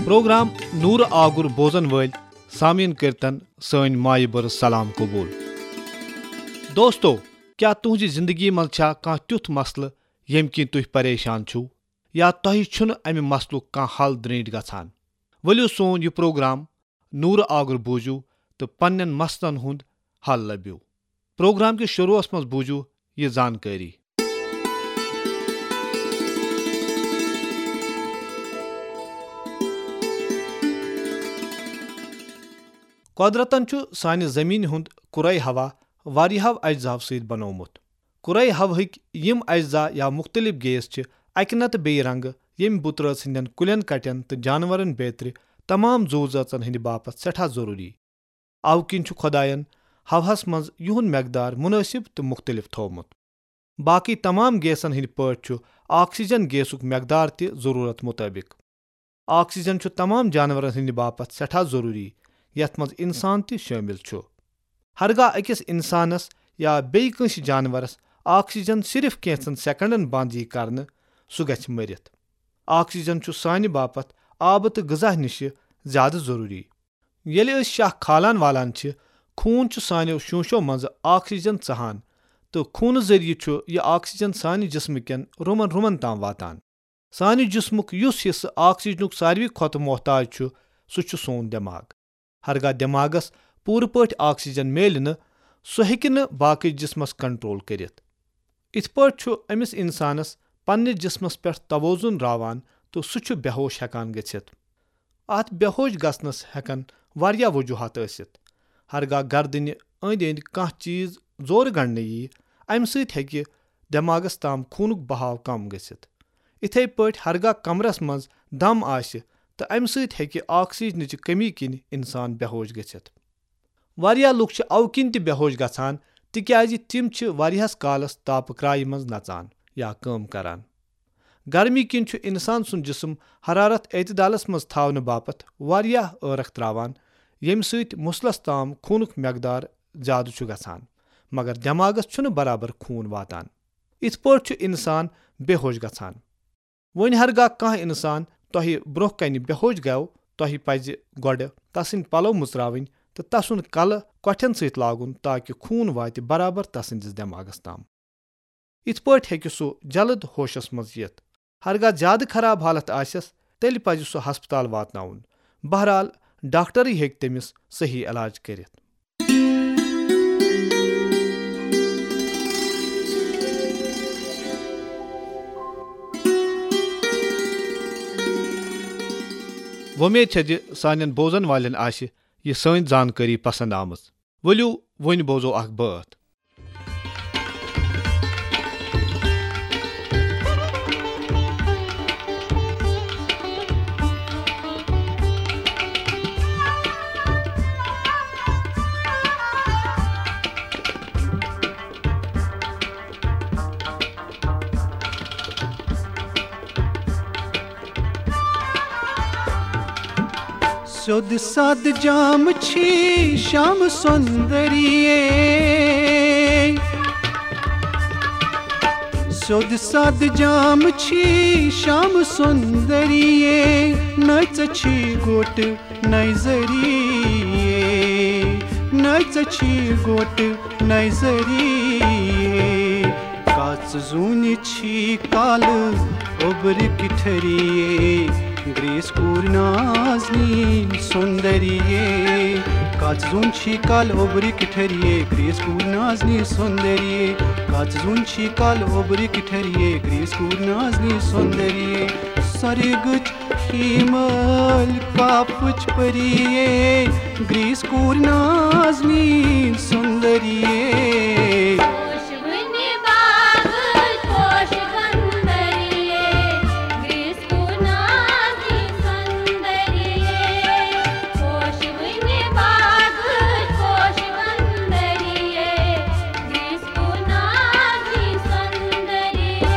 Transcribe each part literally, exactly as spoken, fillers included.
Programme نورٕ آگُر بوزن وٲلۍ سامعیٖن کٔرتن سٲنۍ مایہِ بٔرٕژ سلام قبول۔ دوستو، کیٛاہ تُہنٛزِ زندگی منٛز چھا کانٛہہ تیُتھ مسلہٕ ییٚمہِ کِنۍ تُہۍ پریشان چھِو، یا تۄہہِ چھُنہٕ امہِ مسلُک کانٛہہ حل درینٹھ گژھان؟ ؤلِو سون یہِ پروگرام نورٕ آگُر بوٗزِو تہٕ پننٮ۪ن مسلن ہُنٛد حل لٔبِو۔ پروگرام کِس شروعس منٛز بوٗزِو یہِ زانکٲری۔ قۄدرتن چھُ سانہِ زمینہِ ہُنٛد کُرے ہوا واریاہو اجزاہو سۭتۍ بنوومُت۔ کُرے ہوہٕکۍ یِم اجزا یا مُختٔلِف گیس چھِ اکہِ نتہٕ بیٚیہِ رنگہٕ ییٚمہِ بُترٲژ ہٕنٛدٮ۪ن کُلٮ۪ن کٹٮ۪ن تہٕ جانورن بیترِ تمام زُو زٲژن ہٕنٛدِ باپتھ سٮ۪ٹھاہ ضروٗری۔ اوٕ کِنۍ چھُ خۄدایَن ہوہَس منٛز یِہُنٛد مقدار مُنٲسِب تہٕ مُختٔلِف تھوومُت۔ باقٕے تمام گیسَن ہٕنٛدۍ پٲٹھۍ چھُ آکسیجن گیسُک مقدار تہِ ضروٗرت مُطٲبِق۔ آکسیجن چھُ تمام جانورن ہٕنٛدِ باپتھ سٮ۪ٹھاہ ضروٗری، یَتھ منٛز انسان تہِ شٲمِل چھُ۔ ہرگاہ أکِس انسانس یا بیٚیہِ کٲنٛسہِ جانورس آکسیجن صرف کینٛژن سیکنڈن بنٛد یی کرنہٕ، سُہ گژھِ مٔرِتھ۔ آکسیجن چھُ سانہِ باپتھ آبہٕ تہٕ غذا نِشہِ زیادٕ ضروٗری۔ ییٚلہِ أسۍ شاہ کھالان والان چھِ، خوٗن چھُ سانیو شوٗشو منٛزٕ آکسیجن ژَہان تہٕ خوٗنہٕ ذٔریعہٕ چھُ یہِ آکسیجن سانہِ جسمہٕ کٮ۪ن رُمن رُمن تام واتان۔ سانہِ جسمُک یُس حصہٕ آکسیجنُک ساروی کھۄتہٕ محتاج چھُ، سُہ چھُ سون دٮ۪ماغ۔ ہرگاہ دٮ۪ماغس پوٗرٕ پٲٹھۍ آکسیجن میلہِ نہٕ، سُہ ہیٚکہِ نہٕ باقٕے جسمس کنٹرول کٔرِتھ۔ یِتھ پٲٹھۍ چھُ أمِس انسانس پننِس جسمس پٮ۪ٹھ توازن راوان تہٕ سُہ چھُ بے ہوش ہٮ۪کان گٔژھِتھ۔ اتھ بے ہوش گژھنس ہٮ۪کن واریاہ وجوہات ٲسِتھ۔ ہرگاہ گردنہِ أنٛدۍ أنٛدۍ کانٛہہ چیز زورٕ گنڈنہٕ ییہِ، امہِ سۭتۍ ہیٚکہِ دٮ۪ماغس تام خوٗنُک بہاو کم گٔژھِتھ۔ اِتھے پٲٹھۍ ہرگاہ کمرس منٛز دم آسہِ تہٕ امہِ سۭتۍ ہیٚکہِ آکسیجنٕچہِ کمی کِنۍ انسان بے ہوش گٔژھِتھ۔ واریاہ لُکھ چھِ اوٕ کِنۍ تہِ بے ہوش گژھان، تِکیازِ تِم چھِ واریاہس کالس تاپہٕ کرایہِ منٛز نژان یا کٲم کران۔ گرمی کِنۍ چھُ انسان سُنٛد جسم حرارت اعتدالس منٛز تھاونہٕ باپتھ واریاہ عٲرق تراوان، ییٚمہِ سۭتۍ مُسلس تام خوٗنُک مقدار زیادٕ چھُ گژھان، مگر دٮ۪ماغس چھُنہٕ برابر خوٗن واتان۔ یِتھ پٲٹھۍ چھُ انسان بے ہوش گژھان۔ وۄنۍ ہرگاہ کانٛہہ انسان تۄہہِ برونٛہہ کنہِ بے ہوش گوٚو، تۄہہِ پزِ گۄڈٕ تسٕنٛدۍ پلو مُژراوٕنۍ تہٕ تسُنٛد کلہٕ کۄٹھٮ۪ن سۭتۍ لاگُن، تاکہ خوٗن واتہِ برابر تسٕنٛدِس دٮ۪ماغس تام۔ یِتھ پٲٹھۍ ہیٚکہِ سُہ جلد ہوشس منٛز یِتھ۔ ہرگاہ زیادٕ خراب حالت آسٮ۪س، تیٚلہِ پزِ سُہ ہسپتال واتناوُن۔ بہرحال، ڈاکٹرٕے ہیٚکہِ تٔمِس صحیح علاج کٔرِتھ۔ وۄمید چھےٚ زِ سانٮ۪ن بوزن والٮ۪ن آسہِ یہِ سٲنۍ زانکٲری پسند آمٕژ۔ ؤلِو، وۄنۍ بوزو اکھ بٲتھ۔ سیوٚد سادٕ جام چھی شام سُندریے۔ سیوٚد سادٕ جام چھی شام سُندریے۔ نہ ژےٚ چھی گوٹہٕ نظریے۔ نہ ژےٚ چھی گوٹہٕ نظریے۔ کَژھ زوٗنہِ چھی کالہٕ اوٚبرِ کِٹھریے۔ گریس کوٗر نازنی سُندریے۔ کَژھ زوٗن چھی کالہٕ اوٚبرِ کِٹھریے۔ گریس کوٗر نازنی سُندریے۔ کَژھ زوٗن چھی کالہٕ اوٚبرِ کِٹھریے۔ گریس کوٗر نازنی سُندریے۔ سۄرگٕچ ہیٖمل کاپٕچ پریے۔ گریس کوٗر نازنی سُندریے۔ پوشوٕنہِ باغٕچ پوش گندریے، گریس کوٗر نازنی سُندریے۔ پوشوٕنہِ باغٕچ پوش گندریے، گریس کوٗر نازنی سُندریے۔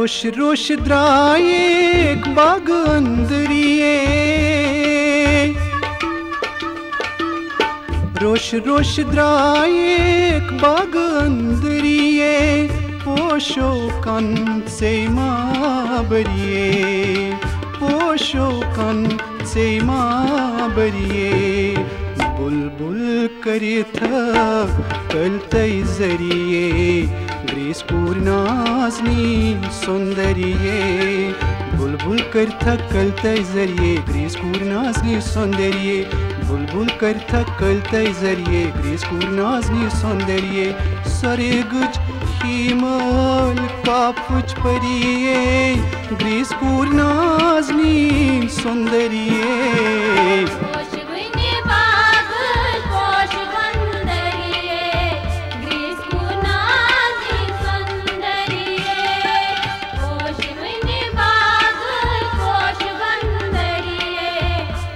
روش روش درایک باغ اندریے، روش روش درایک باغ اندریے، پوشو کن سے ما بریے، پوشو کن سے ما بریے۔ بلبل کریتھا کلتَے ذریعے، گریس کوٗر نازنی سندریے۔ بلبل کریتھا کلتَے ذریعے، گریس کوٗر نازنی سندریے۔ بلبل کریتھا کلتَے ذریعے، گریس کوٗر نازنی سندریے۔ سرگٕچ ہیمل کاپچ پریے، گریس کوٗر نازنی سندریے۔ پوشوٕنۍ باغ پوشہٕ بندریے، گریس کوٗر نازنی سندریے۔ پوشوٕنۍ باغ پوشہٕ بندریے،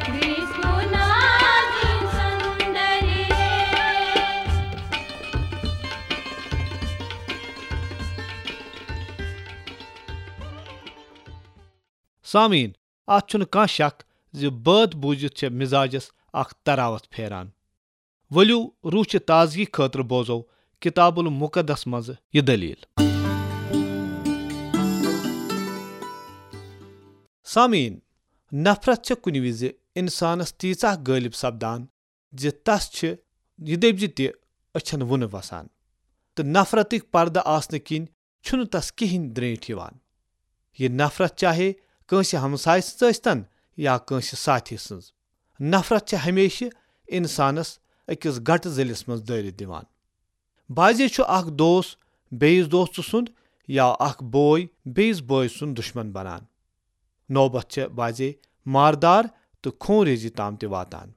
گریس کوٗر نازنی سندریے۔ سامعین، اتھ چھُنہٕ کانٛہہ شک زِ بٲتھ بوٗزِتھ چھےٚ مزاجس اکھ تراوت پھیران۔ ؤلِو، روح چہِ تازگی خٲطرٕ بوزو کتاب المقدس منٛز یہِ دٔلیٖل۔ سامعین، نفرت چھےٚ کُنہِ وِزِ انسانس تیٖژاہ غٲلب سپدان زِ تس چھِ یہِ دٔپۍ زِ تہِ أچھن وُنہٕ وسان، تہٕ نفرتٕکۍ پردٕ آسنہٕ کِنۍ چھُنہٕ تس کِہیٖنۍ درٛینٛٹھۍ یِوان۔ یہِ نفرت، چاہے کٲنٛسہِ ہمسایہِ سٕنٛز ٲسۍتن یا کٲنٛسہِ ساتھی سٕنٛز، نفرت چھےٚ ہمیشہِ انسانس أکِس گٹہٕ ذٔلِس منٛز دٲرِتھ دِوان۔ بعضے چھُ اکھ دوست بیٚیِس دوستہٕ سُنٛد یا اکھ بوے بیٚیِس بٲے سُنٛد دُشمن بنان۔ نوبت چھےٚ بعضے ماردار تہٕ خون ریزی تام تہِ واتان۔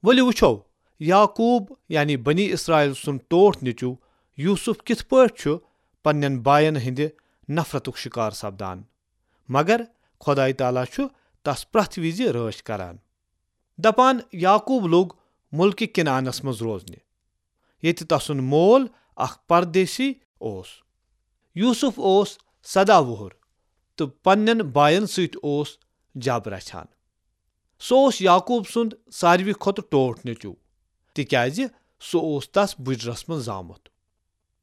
ؤلِو وٕچھو، یعقوب یعنی بنی اسرائیل سُنٛد ٹوٹھ نیٚچو یوسف کِتھ پٲٹھۍ چھُ پننٮ۪ن باین ہٕنٛدِ نفرتُک شکار سپدان، مگر خدایہ تعالیٰ چھُ تس پرٛٮ۪تھ وِزِ رٲچھ کران۔ دپان، یعقوب لوٚگ ملکہ کنعانس منٛز روزنہِ، ییٚتہِ تسُنٛد مول اکھ پردیسی اوس۔ یوسف اوس سدہ وُہُر تہٕ پننٮ۪ن باین سۭتۍ اوس جب رچھان۔ سُہ اوس یعقوب سُنٛد ساروی کھۄتہٕ ٹوٹھ نیٚچو، تِکیازِ سُہ اوس تس بُجرس منٛز زامُت۔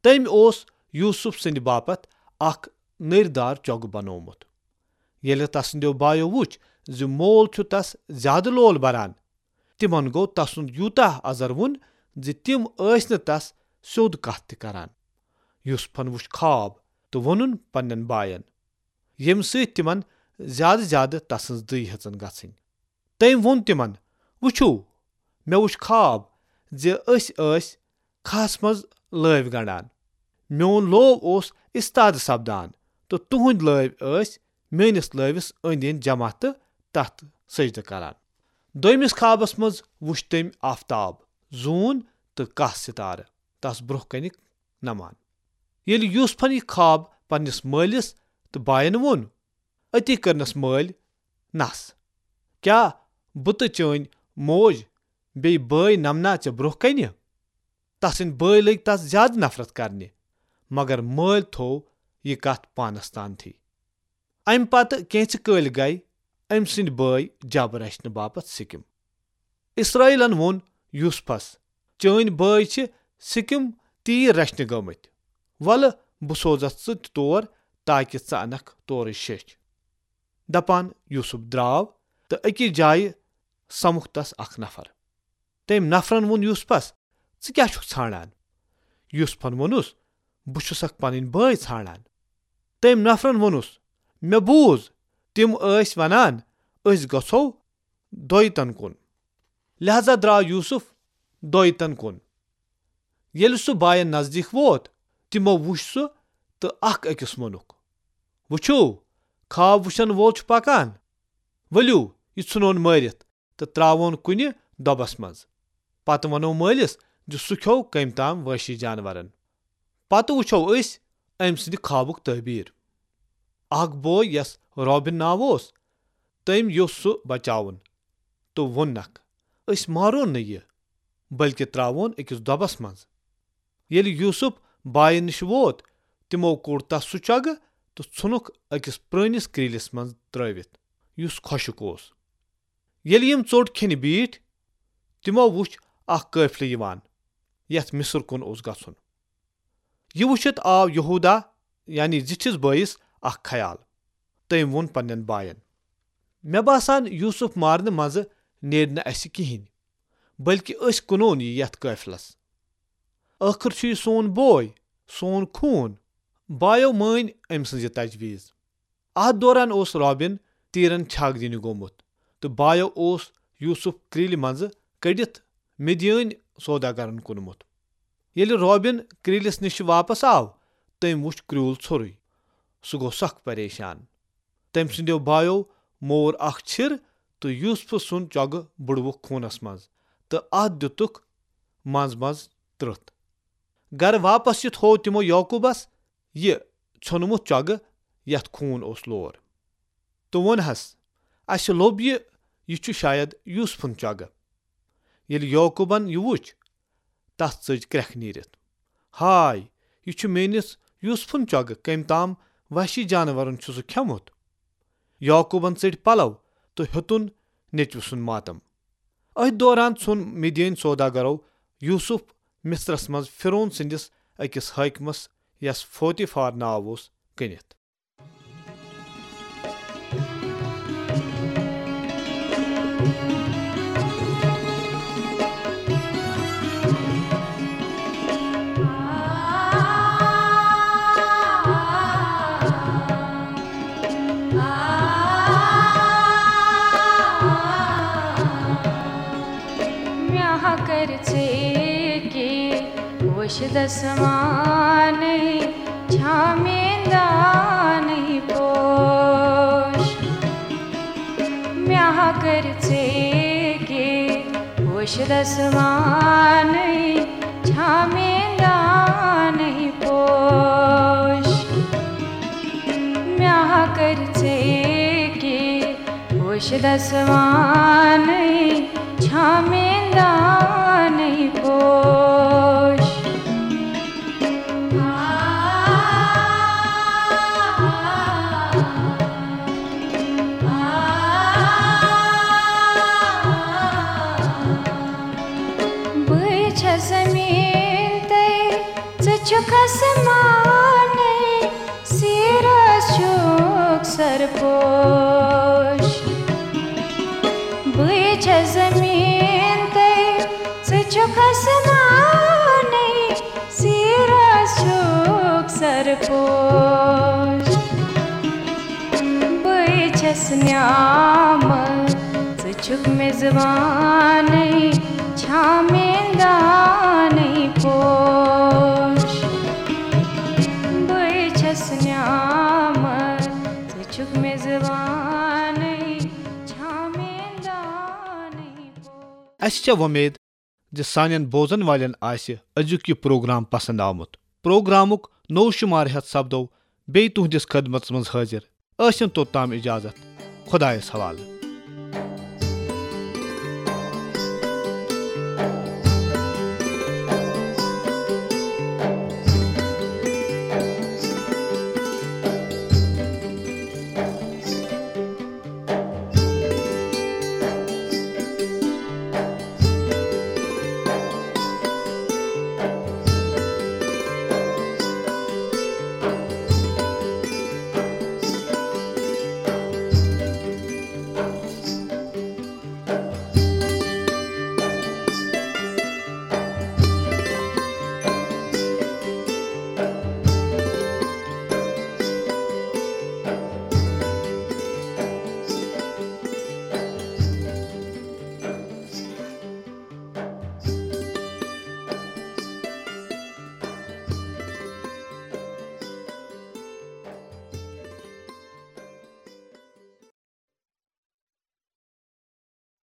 تٔمۍ اوس یوسف سٕنٛدِ باپتھ اکھ نٔرۍ دار چۄگہٕ بنوومُت۔ ییٚلہِ تسٕنٛدیو بایو وُچھ زِ مول چھُ تس زیادٕ لول بران، تِمن گوٚو تسُنٛد یوٗتاہ ازر وُن زِ تِم ٲسۍ نہٕ تس سیوٚد کتھ تہِ کران۔ یوسفن وُچھ خواب تہٕ ووٚنُن پننٮ۪ن باین، ییٚمہِ سۭتۍ تِمن زیادٕ زیادٕ تسٕنٛز دٕے ہیژن گژھٕنۍ۔ تٔمۍ ووٚن تِمن، وٕچھِو، مےٚ وُچھ خواب زِ أسۍ ٲسۍ کھہس منٛز لٲوۍ گنڈان۔ میون لوو اوس استادٕ سپدان تہٕ تُہنٛدۍ لٲوۍ ٲسۍ میٲنِس لٲوِس أنٛدۍ أنٛدۍ جمع تہٕ تتھ سجدٕ کران۔ دوٚیمِس خوابس منٛز وُچھ تٔمۍ آفتاب، زوٗن تہٕ کاہ ستارٕ تس برونٛہہ کنہِ نمان۔ ییٚلہِ یوسفن یہِ خواب پننِس مٲلِس تہٕ باین ووٚن، أتی کٔرنس مٲلۍ نس، کیٛاہ بہٕ تہٕ چٲنۍ موج بیٚیہِ بٲے نمنا ژےٚ برونٛہہ کنہِ؟ تسٕنٛدۍ بٲے لٔگۍ تس زیادٕ نفرت کرنہِ، مگر مٲلۍ تھوو یہِ کتھ پانس تانتھٕے۔ امہِ پتہٕ کینژِ کٲلۍ گٔیہِ أمۍ سٕنٛدۍ بٲے جب رچھنہٕ باپتھ سِکم۔ اسرائیلن ووٚن یوسفس، چٲنۍ بٲے چھِ سِکم تیٖر رچھنہِ گٲمٕتۍ۔ ولہٕ، بہٕ سوزتھ ژٕ تہِ تور، تاکہ ژٕ انکھ تورٕچ شیٚچھ۔ دپان یوسف درٛاو تہٕ أکِس جایہِ سمکھ تس اکھ نفر۔ تٔمۍ نفرن ووٚن یوسفس، ژٕ کیٛاہ چھُکھ ژھانڈان؟ یوسفن ووٚنُس، بہٕ چھُسکھ پنٕنۍ بٲے ژھانڈان۔ تٔمۍ نفرن ووٚنُس، مےٚ بوٗز، تِم ٲسۍ ونان، أسۍ گژھو دویتن کُن۔ لہذا درٛاو یوسف دویتن کُن۔ ییٚلہِ سُہ باین نزدیٖک ووت، تِمو وُچھ سُہ تہٕ اکھ أکِس ووٚنُکھ، وٕچھِو، خواب وٕچھن وول چھُ پکان۔ ؤلِو، یہِ ژھٕنون مٲرِتھ تہٕ ترٛاوون کُنہِ دۄبس منٛز۔ پتہٕ ونو مٲلِس زِ سُہ کھیوٚو کٔمۍ تام وٲنٛسی جانورن۔ پتہٕ وٕچھو أسۍ أمۍ سٕنٛدِ خوابُک تعبیٖر۔ اکھ بوے، یس روبن ناو اوس، تٔمۍ یوٚژھ سُہ بچاوُن تہٕ ووٚننکھ، أسۍ مارون نہٕ یہِ، بلکہ ترٛاوون أکِس دۄبس منٛز۔ ییٚلہِ یوسف باین نِش ووت، تِمو کوٚڑ تس سُہ چۄگہٕ تہٕ ژھُنُکھ أکِس پرٛٲنِس کرٛیٖلِس منٛز ترٛٲوِتھ، یُس خۄشک اوس۔ ییٚلہِ یِم ژوٚٹ کھیٚنہِ بیٖٹھۍ، تِمو وُچھ اکھ قٲفلہٕ یِوان، یتھ مصر کُن اوس گژھُن۔ یہِ وُچھِتھ آو یہودا، یعنی زِٹھِس بٲیِس، اکھ خیال۔ تٔمۍ ووٚن پننٮ۪ن باین، "مےٚ باسان، یوسف مارنہٕ منٛزٕ نیرِ نہٕ اسہِ کِہینۍ، بلکہِ أسۍ کٕنون یہِ یتھ قٲفلس۔ ٲخٕر چھُ یہِ سون بوے، سون خوٗن۔" بایو مٲنۍ أمۍ سٕنٛز یہِ تجویز۔ اتھ دوران اوس رابن تیرن چھاگ دِنہِ گوٚمُت، تہٕ بایو اوس یوسف کرٛیٖلہِ منٛزٕ کٔڑِتھ مدیٲنۍ سوداگرن کُنمُت۔ ییٚلہِ رابن کرٛیٖلِس نِش واپس آو، تٔمۍ وُچھ کرٛیوٗل ژھوٚرُے۔ سُہ گوٚو سخ پریشان۔ تٔمۍ سٕنٛدیو بایو مور اکھ چھِر تہٕ یوسف سُنٛد چۄگہٕ بُڑوُکھ خوٗنس منٛز، تہٕ اتھ دِتُکھ منٛز منٛز ترٕتھ۔ گرٕ واپس یِتھ ہوو تِمو یعقوبس یہِ ژھیوٚنمُت چۄگہٕ، یتھ خوٗن اوس لور، تہٕ ووٚنہس، "اسہِ لوٚب یہِ، یہِ چھُ شاید یوسفُن چۄگہٕ۔" ییٚلہِ یعقوبن یہِ وُچھ، تس ژٔج کرٛٮ۪کھ نیٖرِتھ۔ "ہاے، یہِ چھُ میٲنِس یوسفُن چۄگہٕ، کٔمۍ تام وحشی جانورن چھُ سُہ کھٮ۪ومُت۔" یعقوبن ژٔٹۍ پلو تہٕ ہیوٚتُن نیٚچوِ سُنٛد ماتم۔ أتھۍ دوران ژھُن مدیٲنۍ سوداگرو یوسف مصرس منٛز فرعون سٕنٛدِس أکِس حٲکمس، یس فوتیفار ناو اوس، کٕنِتھ۔ مےٚ ہا کٔرۍ ژےٚ کہِ پوشہِ دسمانٕے چھا مےٚ دانٕے پوش۔ مےٚ ہا کٔرۍ ژےٚ کہِ پوشہِ دسمانٕے چھا مےٚ دانٕے پوش۔ مےٚ ہا کٔرۍ ژےٚ کہِ پوشہِ دسمانٕے چھا مےٚ دانٕے پوش۔ بہٕ چھَس زٔمیٖن تہٕ ژٕ چھُکھ آسمانٕے، سیٖرس چھُکھ سرپوش۔ بہٕ چھَس زٔمیٖن تہٕ ژٕ چھُکھ آسمانٕے، سیٖرس چھُکھ سرپوش۔ بہٕ چھَس نعمت، ژٕ چھُکھ میزبانٕے، چھا مےٚ دانٕے پوش۔ بہٕ چھَس نعمت، ژٕ چھُکھ میزبانٕے، چھا مےٚ دانٕے پوش۔ اسہِ چھےٚ وۄمید زِ سانٮ۪ن بوزن والٮ۪ن آسہِ أزیُک یہِ پروگرام پسند آمُت۔ پروگرامُک نوٚو شمارٕ ہٮ۪تھ سپدو بیٚیہِ تُہنٛدِس خدمتس منٛز حٲضِر۔ ٲسِن توٚتام اجازت۔ خۄدایس حوالہٕ۔